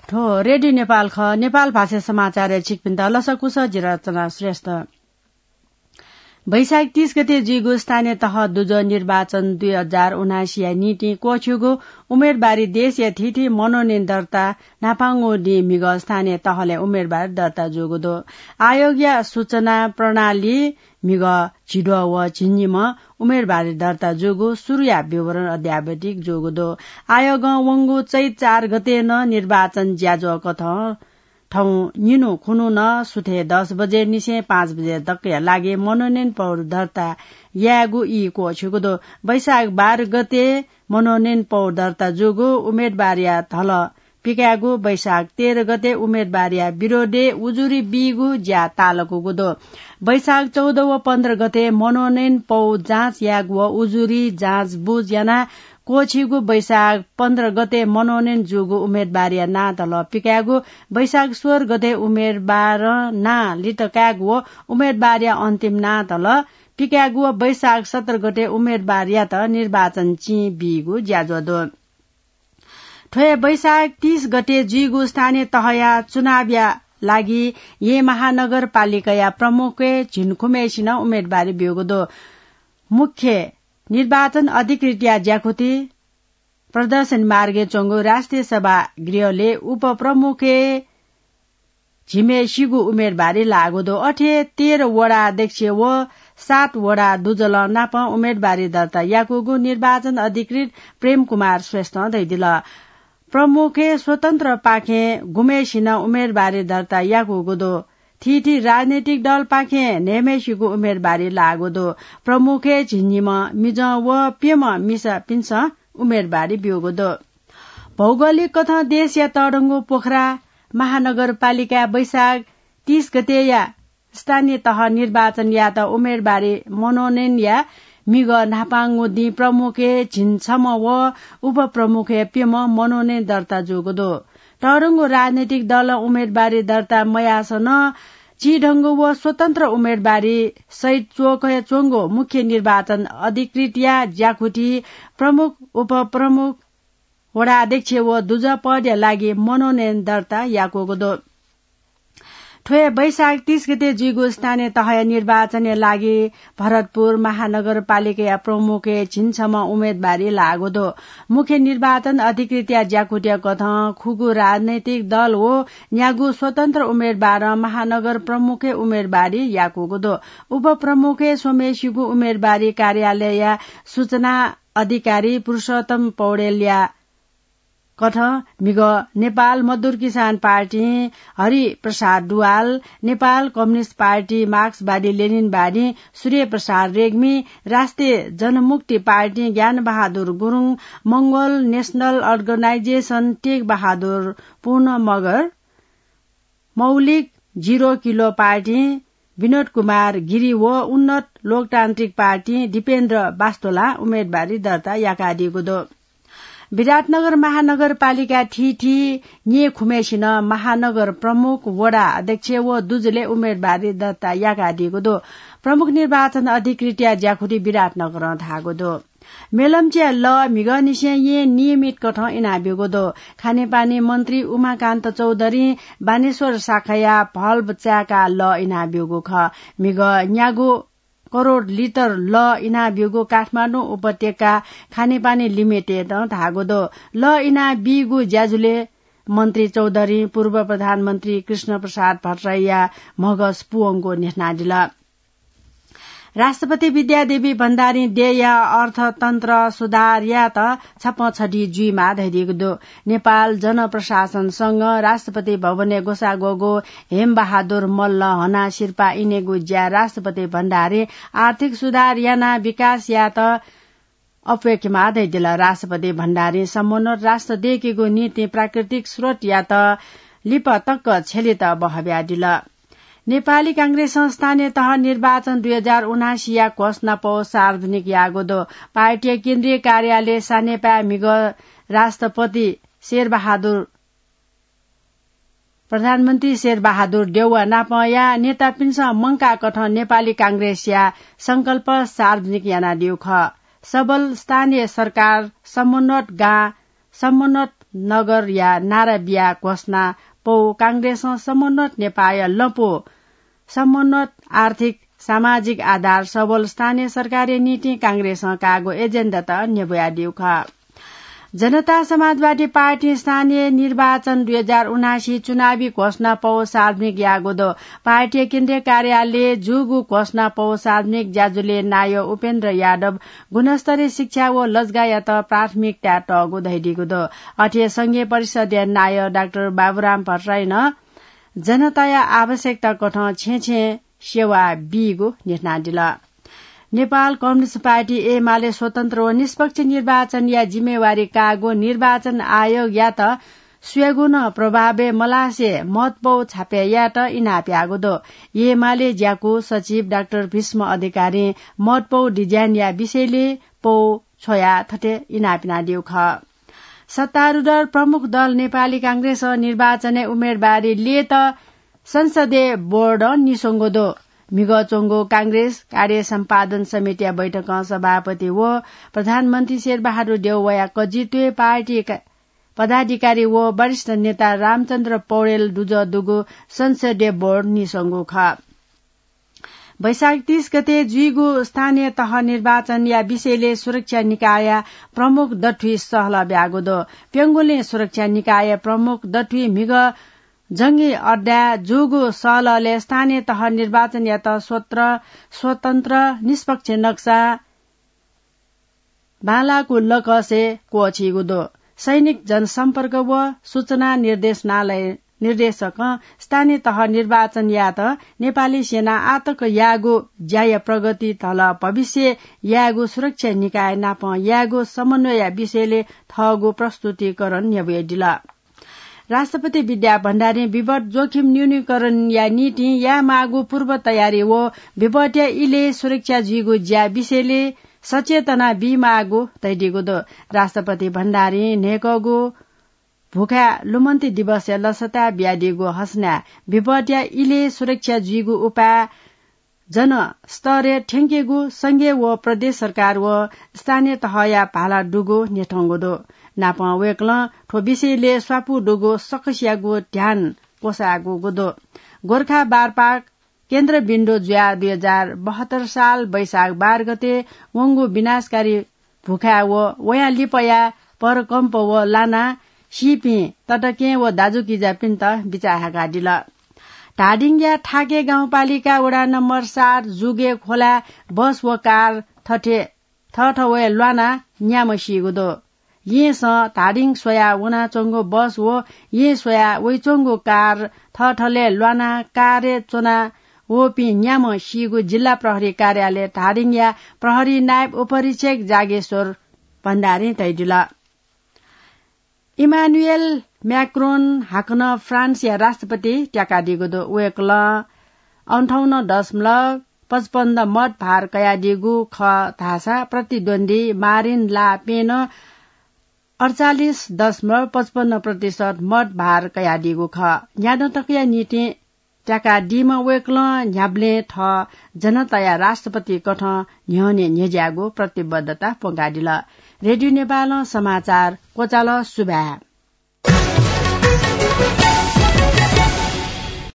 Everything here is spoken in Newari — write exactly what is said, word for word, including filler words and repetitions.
थ्व रेडियो नेपाल खः। नेपाल भाषा समाचारय् छिकपिन्त लसकुस, जि रचना श्रेष्ठ। वैशाख तीस गते जुइगु स्थानीय तह दुजः निर्वाचन दुई हजार उनासीया निंतिं क्वःछिउगु उम्मेदवारी देशया थीथी मनोनयन दर्ता न्हापांगु दिं म्हिगः स्थानीय तहलय् उम्मेदवारी दर्ता जूगु दु। आयोगया सूचना प्रणाली म्हिगः झिद्वः व झिंनिम्ह उम्मेदवारी दर्ता जूगु सुरुया विवरण अद्यावधिक जूगु दु। आयोगं वंगु चैत चार गते नं निर्वाचन ज्याझ्वः कथं थौं निन्हु खुन्हु नं सुथय् दस बजे निसें पाँच बजे दक्कया लागि मनोनयन पौर दर्ता यायेगु ई क्वःछिउगु दु। वैशाख बाह्र गते मनोनयन पौर दर्ता जूगु उम्मेदवारया धलः पिकायेगु, वैशाख तेह्र गते उम्मेदवारया विरोधय् उजुरी बीगु ज्या तालकूगु दु। वैशाख चौध व पन्ध्र गते मनोनयन पौ जाँच यायेगु व उजुरी जाँच बुझ यानाः क्वःछिउगु वैशाख पन्ध्र गते मनोनयन जूगु उम्मेदवारया नां धलः पिकायेगु, वैशाख सोह्र गते उम्मेदवारं नां लित कायेगु व उम्मेदवारया अन्तिम नां धलः पिकायेगु व वैशाख सत्र गते उम्मेदवारयात निर्वाचन चिं बीगु ज्याझ्वः दु। थ्व हे वैशाख तीस गते जुइगु स्थानीय तहया चुनावया लागि येँ महानगरपालिकाया प्रमुखय् झिंखुम्हेसिनं उम्मेदवारी ब्यूगु दु। मुख्य निर्वाचन अधिकृतया ज्याकुथि प्रदर्शनी मार्गय् च्वंगु राष्ट्रिय सभागृहलय् उपप्रमुखय् झिम्हेसिगु उम्मेदवारी लाःगु दु। अथे तेह्र वडा अध्यक्ष व सात वडा दुजलं नाप उम्मेदवारी दर्ता याकूगु निर्वाचन अधिकृत प्रेम कुमार श्रेष्ठं धयादिल। प्रमुखय् स्वतन्त्रपाखें गुम्हेसिनं उम्मेदवारी दर्ता याकूगु दु। थीथी राजनैतिक दलपाखें न्हय्म्हेसिगु उम्मेदवारी लाःगु दु। प्रमुखय् झिंनिम्ह मिजं व प्यम्ह मिसापिन्सं उम्मेदवारी ब्यूगु दु। भौगोलिक कथं देशया तःधंगु पोखरा महानगरपालिकाय् वैशाख तीस गतेया स्थानीय तह निर्वाचन यायेत उम्मेदवारी मनोनयन याये म्हिगः न्हापांगु दिं प्रमुखय् झिंछम्ह व उपप्रमुखय् प्यम्ह मनोनयन दर्ता जूगु दु। तःधंगु राजनैतिक दलं उम्मेदवारी दर्ता मयाःसां नं चिधंगु व स्वतन्त्र उम्मेदवारी सहित च्वकय् च्वंगु मुख्य निर्वाचन अधिकृतया ज्याकुथि प्रमुख, उपप्रमुख, वडा अध्यक्ष व दुजः पदया लागि मनोनयन दर्ता याकूगु दु। थ्व हे वैशाख तीस गते जुइगु स्थानीय तहया निर्वाचनया लागि भरतपुर महानगरपालिकाया प्रमुखय् झिंछम्ह उम्मेदवारी लाःगु दु। मुख्य निर्वाचन अधिकृतया ज्याकुथिया कथं खुगू राजनैतिक दल व न्यागू स्वतन्त्र उम्मेदवारं महानगर प्रमुखय् उम्मेदवारी याकूगु दु। उपप्रमुखय् स्वम्हेसिगु उम्मेदवारी कार्यालयया सूचना अधिकारी पुरुषोत्तम पौडेलया कथं म्हिगः नेपाल मजदुर किसान पार्टीं हरि प्रसाद दुवाल, नेपाल कम्युनिस्ट पार्टी मार्क्सवादी लेनिनवादीं सूर्य प्रसाद रेग्मी, राष्ट्रिय जनमुक्ति पार्टीं Gyan Bahadur Gurung, Mongol national organisation Tek Bahadur Purna Magar, Maulik zero kilo पार्टीं विनोद कुमार गिरी व उन्नत लोकतान्त्रिक पार्टीं दिपेन्द्र बास्तोलां उम्मेदवारी दर्ता याकादीगु दु। विराटनगर महानगरपालिका थीथी न्येखुम्हेसिनं महानगर प्रमुख, वडा अध्यक्ष व दुजलय् उम्मेदवारी दर्ता याकादीगु दु। प्रमुख निर्वाचन अधिकृतया ज्याकुथि विराटनगरं धाःगु दु। मेलम्चया लः म्हिगःनिसें येँ नियमित कथं इनाब्यूगु दु। खानेपानी मन्त्री उमाकान्त चौधरीं बानेश्वर शाखाया भल्भ चाय्काः लः इनाब्यूगु खः। म्हिगः न्यागू करोड लिटर लः इनाब्यूगु काठमाडौं उपत्यका खानेपानी लिमिटेडं धाःगु दु। लः इनाबीगु ज्याझ्वलय् मन्त्री चौधरीं पूर्व प्रधानमन्त्री कृष्ण प्रसाद भट्टराईया म्हगस पुवंगु न्ह्यथनादिल। राष्ट्रपति विद्यादेवी भण्डारीं देय्‌या अर्थतन्त्र सुधार यायेत छपं छधी जुइमाः धयादीगु दु। नेपाल जनप्रशासन संघं राष्ट्रपति भवनय् ग्वसाः ग्वःगु हेमबहादुर मल्ल हना सिरपाः इनेगु ज्या राष्ट्रपति भण्डारीं आर्थिक सुधार यानाः विकास यायेत अप्वय्केमाः धयादिल। राष्ट्रपति भण्डारीं समुन्नत राष्ट्र दय्केगु निंतिं प्राकृतिक स्रोतयात लिपा तक छ्यलेत बहःब्यादिल। नेपाली कांग्रेसं स्थानीय तह निर्वाचन दुई हजार उनासीया घोषणापौ सार्वजनिक याःगु दु। पार्टीया केन्द्रीय कार्यालय सानेपाय् म्हिगः राष्ट्रपति शेरबहादुर प्रधानमन्त्री शेरबहादुर देउवा नापंया नेतापिन्सं मंकाः कथं नेपाली कांग्रेसया संकल्प सार्वजनिक यानादीगु खः। सबल स्थानीय सरकार, समुन्नत गां, समुन्नत नगरया नारा बिया घोषणा पौ कांग्रेसं समन्वत नेपाःया लँपु समन्वत आर्थिक सामाजिक आधार सबल स्थानीय सरकारया निंतिं कांग्रेसं काःगु एजेन्डात न्ह्यब्वयादीगु खः। जनता समाजवादी पार्टी स्थानीय निर्वाचन दुई हजार उनासी चुनावी घोषणा पौ सार्वजनिक याःगु दु। पार्टी केन्द्रीय कार्यालय जूगु घोषणा पौ सार्वजनिक ज्याझ्वलय् नायः उपेन्द्र यादव गुणस्तरीय शिक्षा व लजगायात प्राथमिकता तःगु धयादीगु दु। अथे संघीय परिषदया नायः डाक्टर बाबुराम भट्टराईं जनताया आवश्यकता कथं छेँ छेँ सेवा बीगु न्ह्यथनादिल। नेपाल कम्युनिस्ट पार्टी एमाले स्वतन्त्र व निष्पक्ष निर्वाचनया जिम्मेवारी काःगु निर्वाचन आयोगयात स्वयेगु नं प्रभावय् मलासे मतपौ छापय् यायेत इनाप याःगु दु। एमाले ज्याकू सचिव डाक्टर भीष्म अधिकारीं मतपौ डिजाइनया विषयले पौ छ्वयाः थथे इनाप यानादीगु खः। सत्तारूढ प्रमुख दल नेपाली कांग्रेसं निर्वाचनय् उम्मेदवारी ल्ययेत संसदीय बोर्ड निस्वंगु दु। म्हिगः च्वंगु कांग्रेस कार्य सम्पादन समितिया बैठकं सभापति व प्रधानमन्त्री शेरबहादुर देउवाया कजित्वय् पार्टी का-, पदाधिकारी व वरिष्ठ नेता रामचन्द्र पौडेल दुजः दुगु संसदीय बोर्ड निस्वंगु खः। वैशाख तीस गते जुइगु स्थानीय तह निर्वाचनया विषयले सुरक्षा निकायया प्रमुख दथुइ सहलह ब्यागु दु। प्यंगुलिं सुरक्षा निकाय प्रमुख दथुइ म्हिगः जंगी अड्डाय् जूगु सहलहलय् स्थानीय तह निर्वाचनयात स्वत्र-, स्वतन्त्र निष्पक्ष नक्सा बांलाःगु लकसय् क्वःछीगु दु। सैनिक जनसम्पर्क व सूचना निर्देशनालय निर्देशकं स्थानीय तह निर्वाचन यायेत नेपाली सेना आतक याःगु ज्याया प्रगति धल भविष्य यायेगु सुरक्षा निकाय नाप यायेगु समन्वयया विषयले थःगु प्रस्तुतिकरण न्ह्यब्वयादिल। राष्ट्रपति विद्या भण्डारीं विपद जोखिम न्यूनीकरणया निंतिं यायेमाःगु पूर्व तयारी व विपदया इलय् सुरक्षा जुइगु ज्या विषयले सचेतना बीमाःगु धयादीगु दु। राष्ट्रपति भण्डारीं न्हय्कःगु भुखाय् लुमन्ति दिवसया लसताय् बियादीगु हसनाय् विपदया इलय् सुरक्षा जुइगु उपाय जनस्तरय् थ्यंकेगु संघीय व प्रदेश सरकार व स्थानीय तहया भाला दुगु न्ह्यथंगु दु। नापं वय्कलं थ्व विषयलय् स्वापू दुगु सकसियागु ध्यान क्वसाःगु दु। गोर्खा बारपाक केन्द्रबिन्दु जुयाः दुई हजार बहत्तर साल वैशाख बाह्र गते वंगु विनाशकारी भुखाय् व वयां लिपया परकम्प व लाना सीपिं तताकेहेँ व दाजुकिजापिन्त बिचाः हाकादिल। धादिङया थाके गाउँपालिका वडा नम्बर सात जुगे खोलाय् बस व कार थथे थःथवय् ल्वानाः न्याम्ह सीगु दु। येँसं धादिङ स्वयाः वनाच्वंगु बस व येँ स्वयाः वइच्वंगु कार थःथलय् ल्वानाः कारय् च्वना वःपिं न्याम्ह सीगु जिल्ला प्रहरी कार्यालय धादिङया प्रहरी नायब उपरीक्षक जागेश्वर भण्डारीं धयादिल। इमानुएल म्याक्रोन हाकनं फ्रान्सया राष्ट्रपति त्याकादीगु दु। वय्कलं अन्ठाउन्न दशमलव पचपन्न मत भार कयादीगु खः धाःसा प्रतिद्वन्द्वी मारिन ला पेनं अडचालिस दशमलव पचपन्न प्रतिशत मत भार कयादीगु खः। न्यादँ तकया निंतिं त्याकादीम्ह वय्कलं न्ह्याबलें थः जनताया राष्ट्रपति कथं न्ह्यःने न्ह्यज्याःगु प्रतिबद्धता प्वंकादिल। रेडियो नेपालं समाचार क्वचाल। सुभाय्।